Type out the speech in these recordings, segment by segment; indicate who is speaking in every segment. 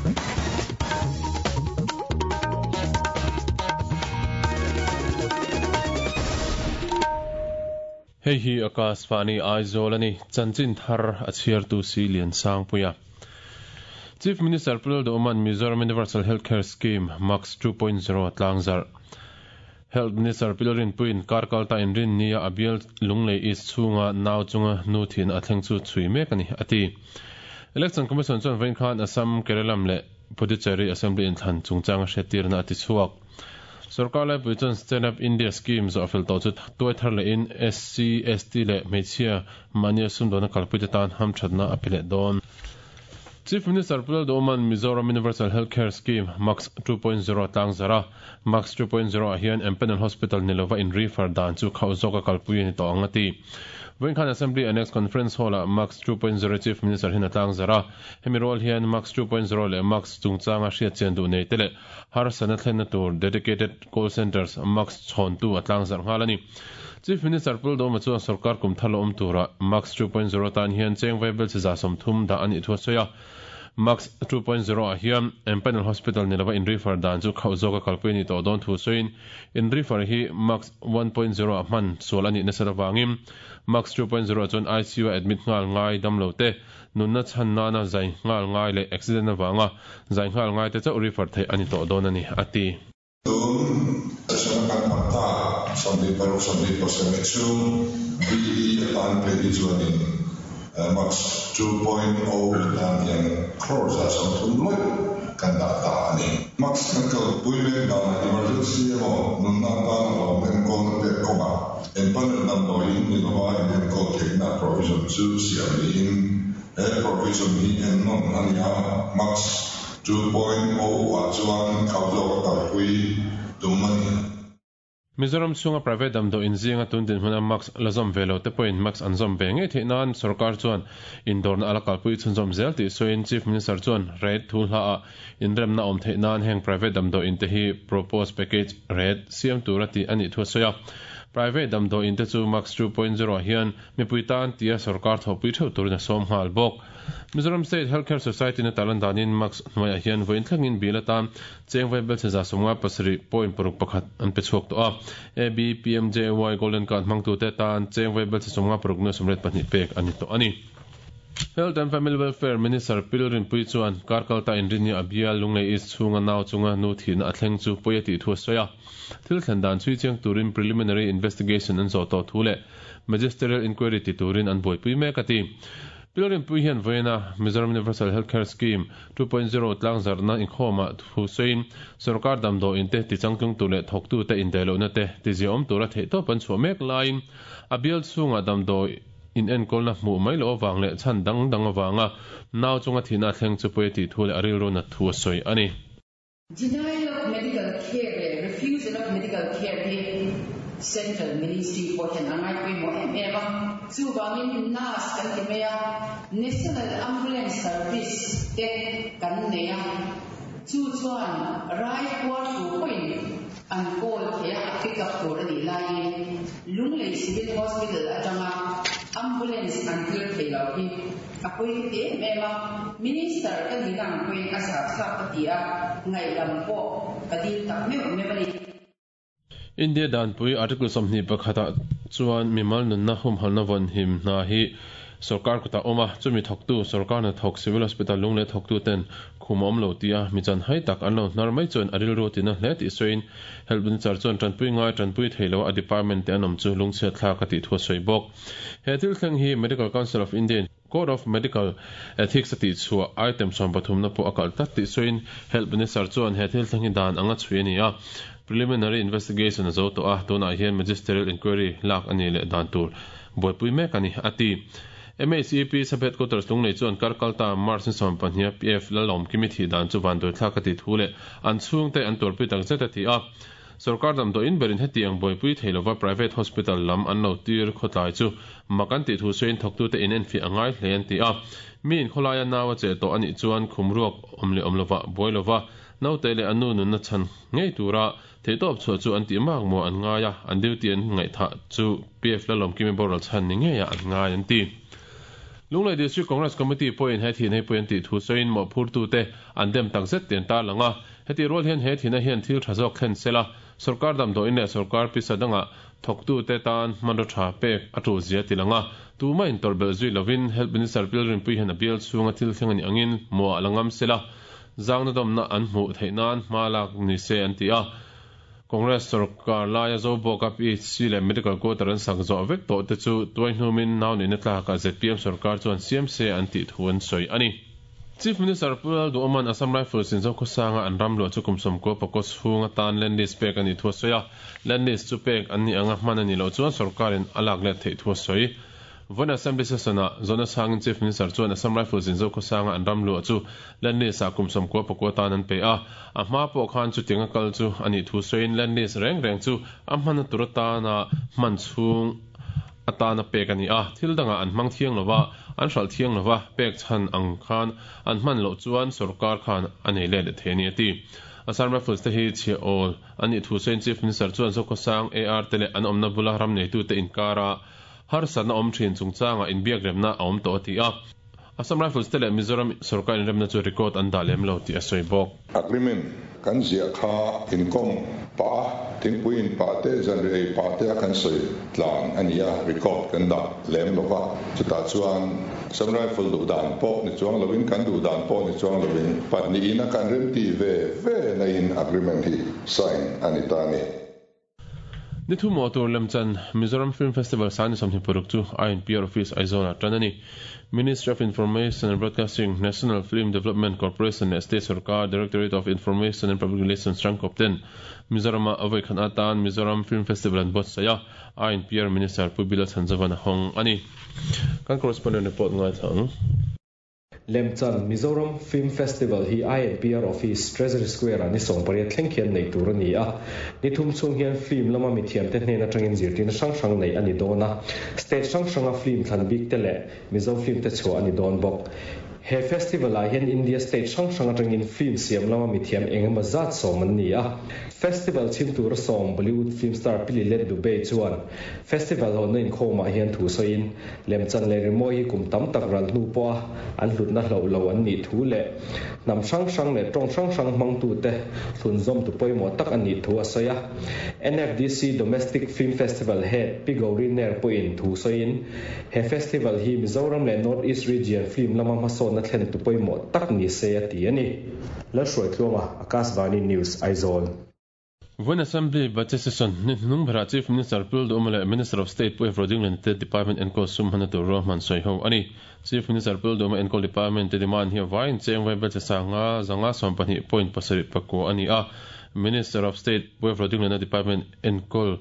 Speaker 1: Hei hi Akashvani Aizawl a ni, chanchin thar a chhiartu si Liansangpuia. Chief Minister Pu Lalduhawma'n Mizoram Universal Healthcare Scheme, MACS 2.0 a tlangzarh. Health Minister Pi Lalrinpuiin kar kalta inrinnia a bial Lunglei East chhunga nau chunga nu thihna a thleng chu chhui mek a ni, a ti. Election Commission chuan vawiin khan Assam, Keralam leh Puducherry Assembly inthlan chungchanga hriattirna a ti chhuak. Sorkar laipui chuan Stand Up India Scheme zawh fel tawh chu tuai thar lehin SC, ST leh hmeichhia mahnia sumdawnna kalpuite tan hamthatna a pe leh dawn. Chief Minister Pu Lalduhawma'n Mizoram Universal Health Care Scheme, MACS 2.0 a tlangzarh a. MACS 2.0 ah hian Empanel Hospital ni lova in refer dan chu khauh zawka kalpui a ni tawh ang a ti. Vawiin khan Assembly Annex Conference Hall-ah MACS 2.0 Chief Minister hian a tlangzarh a. Hemi rual hian MACS 2.0 leh MACS chungchanga hriatchian duh nei te leh harsatna thlenna tur Dedicated Call Centres, MACS, chhawntu a tlangzarh nghal a ni. Chief Minister Pu Lalduhawma chuan sorkar kum thar la awm turah MACS 2.0 tan hian cheng vaibel chi 30 dah a nih thu a sawi a. MACS 2.0 ah hian Empanel Hospital ni lova in refer dan chu khauh zawka kalpui a nih tawh dawn thu sawiin in refer hi MACS 1.0 ah hman sual a nih nasat avangin MACS 2.0 ah chuan ICU a admit nghal ngai damlo te nunna chhan nana zai nghal ngai leh accident avanga zai nghal ngai te chauh refer theih a ni tawh dawn a ni, a ti.
Speaker 2: Tun session kan hman ta 26 27 chu BE atan phei hi chuanin Max 2.0 atan hian crore 30 lawih kan dah ta a ni. Max kan kalpui mek danah emergency emaw nunna atana hlawm enkawlna pek kawngah empanel damdawiin ni lova inenkawl theihna provision chu siam niin he provision hi ennawn a ni a, Max 2.0 ah chuan khauh zawk a kalpui tum a ni.
Speaker 1: Mizoram chhunga private damdawi inzinga tun dinhmuna mask la zawm ve lo te pawhin mask an zawm ve ngei theih nan sorkar chuan indawrna a la kalpui chhunzawm zel tih sawiin Chief Minister chuan rate thu hlaah inremna awm theih nan heng private damdawi in te hi proposed package rate siam tura tih a nih thu a sawi a. Private damdawi in te chu mask 2.0 ah hian mipui tan tia sorkar thawhpui theuh turin a sawm nghal bawk. Mizoram State Healthcare Society na tarlan danin mask hnuaiah hian vawiin thlengin bill atan cheng vaibelchhe 57.61 an pe chhuak tawh a. AB, PMJAY Golden Card hmangtute tan cheng vaibelchhe 56 nuai 82 pek a ni tawh a ni. Health and Family Welfare Minister Pil Rinpui chuan kar kalta inrinni a bial Lunglei East chhunga nau chunga nu thihna a thleng chu pawi a tih thu a sawi a. Thil thlen dan chhui chiang turin preliminary investigation an zawh tawh thu leh Magisterial Inquiry ti turin an buaipui mek a ti. Pil Rinpui hian vawiina Mizoram Universal Healthcare Scheme 2.0 tlangzarhna inkhawmah thu sawiin sorkar damdawiin te tichangtlung tur leh thawktute indaihlohna te tiziaawm tura theihtawp an chhuah mek laiin a bial chhungah damdawi inenkawlna hmuh mai loh avang leh chhan dang dang avanga nau chunga thihna a thleng chu pawi a tih thu leh a rilru nat thu a sawi a ni.
Speaker 3: Denial of medical care leh refusal of medical care hi Central Ministry pawh hian a ngai pawimawh em em a, chuvangin nurse kan ti mai a, National Ambulance Service te kan nei a, chu chuan rai puar tur pawhin an call thei a, a pick up tur a nih laiin Lunglei Civil Hospital atanga ambulance an tir thei lo hi A pawi ka ti em em a, Minister ka nihna ang pawhin a zahthlak ka ti a, ngaihdam pawh ka dil tak meuh meuh a ni.
Speaker 1: India danpui Article 21 ah chuan mimal nunna humhalhna vawnhim hna hi sorkar kutah awm a, chumi thawktu sorkar hnathawk Civil Hospital lunglei thawktu ten khum a awm lo tia mi chanhai tak an lo hnar mai chuan a rilru a tina hle tih sawiin Health Minister chuan tanpui ngai tanpui thei lo a department te an awm chu lungchhiat thlak a tih thu a sawi bawk. He thil thleng hi Medical Council of India in Code of Medical Ethics a tihchhuah item sawmpathumna pawh a kalh tlat tih sawiin Health Minister chuan he thil thleng hi dan anga chhui a ni a, preliminary investigation a zo tawh a, tunah hian magisterial inquiry lak a nih leh dan tur buaipui mek a ni, a ti. MHEP Sub-Headquarters Lunglei chuan kar kalta March ni 12 a PF Lalawmkimi thih dan chu vanduaithlak a tih thu leh an chhungte an tuarpui takzet a ti a. Sorkar damdawiin berin hetiang buaipui thei lova private hospital lam an lo tir khawtlai chu mak an tih thu sawiin thawktute in enfiah a ngai hle an ti a. Mi in khawlaia nau a cheh tawh a nih chuan khum ruak awm leh awm lova buai lova naute leh a nu nunna chhan ngei tura theihtawp chhuah chu an tih mak maw an ngai a, an duty an ngaihthah chu PF Lalawmkimi boral chhan ni ngeiah an ngai an ti. Lunglei District Congress Committee pawhin he thihna hi pawi an tih thu sawiin mawhphurtute an dem takzet tih an tarlang a. Hetih rual hian he thihna hian thil tha zawk thlen sela, sorkar damdawiin leh sorkar pisa dangah thawktute tan hmanraw tha pek a tul zia ti lang a. Tumah intawrh belh zui lovin Health Minister Pi Lalrinpuii hian a bial chhunga thil thleng a nih angin hmuah la ngam sela, zangna dawmna an hmuh theih nan hma lak ni se an ti a. Congress sorkar laia Zobawka PHC leh Medical Quarter an sak zawh vek tawh te chu tuai hnumin nau neihna tlakah zpm sorkar chuan siam se an tih thu an sawi a ni. Chief Minister Pu Lalduhawma'n Assam Rifles in Zokhawsanga an ram luah chu kum 90 pakaw chhung atan land lease pek a nih thu a sawi a, land lease chu pek an nih anga hman a nih loh chuan sorkarin a lak let theih thu a sawi. Vawiin Assembly Session-ah zawhna chhangin Chief Minister chuan Assam Rifles in Zokhawsanga an ram luah chu land lease-ah kum 90 pakua atan an pe a, a hma pawh khan chutianga kal chu a nih thu sawiin land lease reng reng chu a hmanna tur atana hman chhung atana pek a ni a, thil dangah an hmang thiang lo va, an hralh thiang lo va, pek chhan ang khan an hman loh chuan sorkar khan a nei let leh thei a ni a ti. Assam Rifles te hi chhiah awl a nih thu sawiin Chief Minister chuan Zokhawsang AR te leh an awmna bula ram neitute inkara harsatna awm thin chungchangah inbiakremna a awm tawh a ti a. Assam Rifles te leh Mizoram sorkar inremna chu record an dah lem lo tih a sawi bawk.
Speaker 2: Agreement kan ziah kha inkawm pah a, thingpui in pah te, zanriah ei pah te a kan sawi tlan a ni a, record kan dah lem lo va, chutah chuan Assam Rifle duh dan pawh ni chuang lovin kan duh dan pawh ni chuang lovin pahnihin a kan remti ve ve na in agreement hi sign a ni ta a ni.
Speaker 1: Ni thu mawh tur lemchan Mizoram Film Festival Sani 26 chu INPR Office Aizawl-ah tan a ni. Ministry of Information and Broadcasting, National Film Development Corporation leh State Sorkar Directorate of Information and Public Relations Rangkawp ten Mizoram-ah a vawikhat atan Mizoram Film Festival an buatsaih a, INPR Minister Pu Bila Chhanzovan a hawng a ni. Kan correspondent report ngaithla ang.
Speaker 4: Lemchan Mizoram Film Festival hi INPR Office, Treasury Square-ah ni 18 thleng khian neih tur a ni a. Ni thum chhung hian film lama mithiamte hnen atangin zirtirna hrang hrang neih a ni dawn a. State hrang hranga film thlan bik te leh Mizo film te chhuah a ni dawn bawk. He festival-ah hian India state hrang hrang atangin film siam lama mithiam eng emaw zat sawm an ni a. Festival chhim tura sawm Bollywood film star Pili Let Dubey chuan festival hawnna inkhawmah hian thu sawiin Lemchan leh rimawi hi kum tam tak ral hnu pawha an hlutna hloh lo an nih thu leh hnam hrang hrang leh tawng hrang hrang hmangtute thlunzawmtu pawimawh tak a nih thu a sawi a. NFDC Domestic Film Festival Head Pi Gauri Nair pawhin thu sawiin, he festival hi Mizoram leh North East Region film lama hmasawnna thlentu pawimawh tak ni se a ti a ni. Lalhruaitluanga, Akashvani News, Aizawl.
Speaker 1: Vawiin Assembly Budget Session ni hnung berah Chief Minister Pu Duhoma leh Minister of State Pu Evro Dinglin te Department enkawl sum hmanna tur ruahman sawi ho a ni. Chief Minister Pu Duhoma enkawl Department te demand hi a vaiin cheng vai budget sanga 512.74 a ni a. Minister of State Pu Evro Dinglina Department enkawl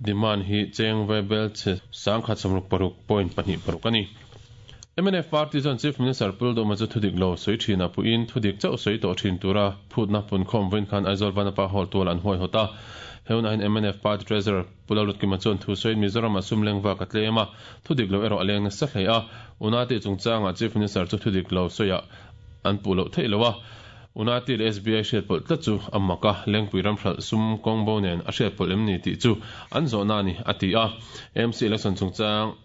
Speaker 1: demand hi cheng vai belchhe 166.26 a ni. Mnf party chuan Chief Minister Pu Duhoma chu thudik lo sawi thin a puiin thudik chauh sawi tawh thin tura phutna punkhawm vawiin khan Aizawl Vanapa Hall tual an huaihawt a. He hunah hian mnf party treasurer Pu Lalrutkima chuan thu sawiin Mizoram-ah sum leng vak a tlem a, thudik lo erawh a leng nasa hle a. Unati chungchangah Chief Minister chu thudik lo sawiah an puh loh theih lo a. Unati leh SBI hriatpawlh tlat chu a mak a, Lengpui ramhralh sum kawngbo nen a hriatpawlh em ni tih chu an zawhna a ni, a ti a. AMC election chungchang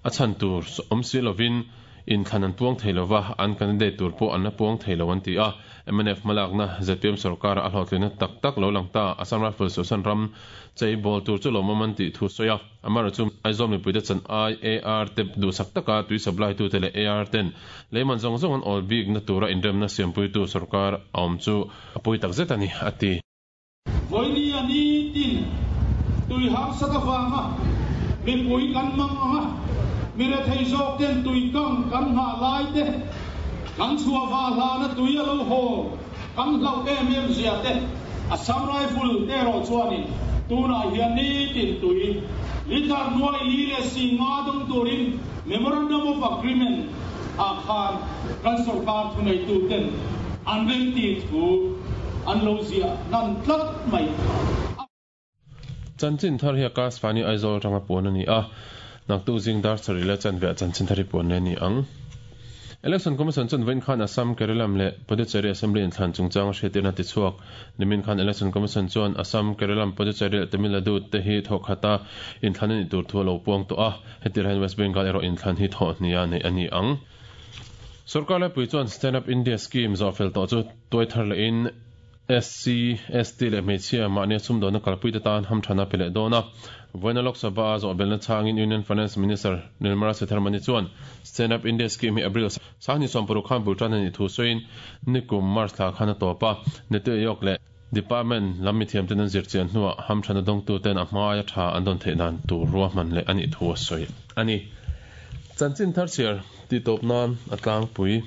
Speaker 1: A chhan tur awm si lovin inthlan an puang thei lova, an candidate tur pawh an la puang thei lo an ti a. Mnf hmalakna zpm sorkara a hlawhtlinna tak tak lo lang ta, Assam Rifles Suhsan ram chei bawl tur chu lawmawm an tih thu sawi a. Amaherawhchu chu Aizawl mipuite chan ai AR te duhsak taka tui supply tute leh AR ten leiman zawng zawng an awl bikna tura inremna siampuitu sorkar a awm chu a pawi takzet a ni, a ti.
Speaker 5: Vawinia nitin tui harsat avanga mipui kan mang ang a, mi rethei zawk ten tui kang kan nghah lai te, kan chhuah vah hlana tui a lo haw kan hlauh em em zia te, Assam Rifle te erawh chuanin tunah hian nitin tui litre nuai li leh si nga dawng turin Memorandum of Agreement ah khan kan sorkar thuneitu ten an remti thu an lo ziah hnan tlat mai a.
Speaker 1: Chanchin thar hi Akashvani Aizawl atanga puan a ni a, naktuk zing dar sarih leh chanve ah chanchin thar hi puan leh a ni ang. Election Commission chuan vawiin khan Assam, Keralam leh Puducherry Assembly inthlan chungchang a hriattirna ti chhuak. Nimin khan Election Commission chuan Assam, Keralam, Puducherry leh Tamil Nadu te hi thawh khata inthlan a nih tur thu a lo puang tawh a, heti raiin West Bengal erawh inthlan hi thawh hnia neih a ni ang. Sorkar laipui chuan Stand Up India Scheme zawhfel tawh chu tuai thar lehin SC, ST leh hmeichhia mahnia sumdawnna kalpuite tan hamthana pe leh dawn a. Vawiina Lok Sabha a zawhbelna chhangin Union Finance Minister Nirmala Sitharaman chuan Stand Up India Scheme hi April sanghnih sawmparuk khan bul tan a nih thu sawiin nikum March thla khan a tawp a, Niti Aayog leh Department lam mithiamten an zirchian hnuah hamthana dawngtuten a hmaia tha an dawn theih dan tur ruahman leh a nih thu a sawi a ni. Chanchin thar chhiar tihtawp nan a tlangpui.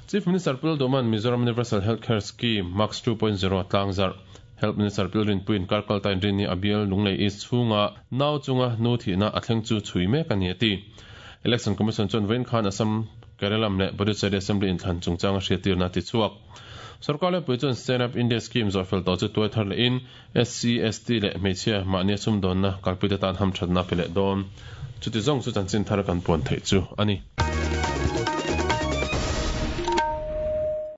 Speaker 1: Chief Minister Pu Lalduhman Mizoram Universal Health Care Scheme, MACS 2.0 a tlangzarh. Health Minister Pu Lalrinpuiin Karkalta inrinni a bial Lunglei East chhunga nau chunga nu thihna a thleng chu chhui mek a ni a ti. Election Commission chuan vawiin khan Assam, Keralam leh Puducherry Assembly inthlan chungchanga hriattirna a ti chhuak. Sorkar laipui chuan Stand Up India Scheme zawhfel tawh chu tuai thar lehin SC, ST leh hmeichhia mahnia sumdawnna kalpuite tan hamthatna a pe leh dawn. Chuti zawng chu chanchin thar kan puan theih chu a ni.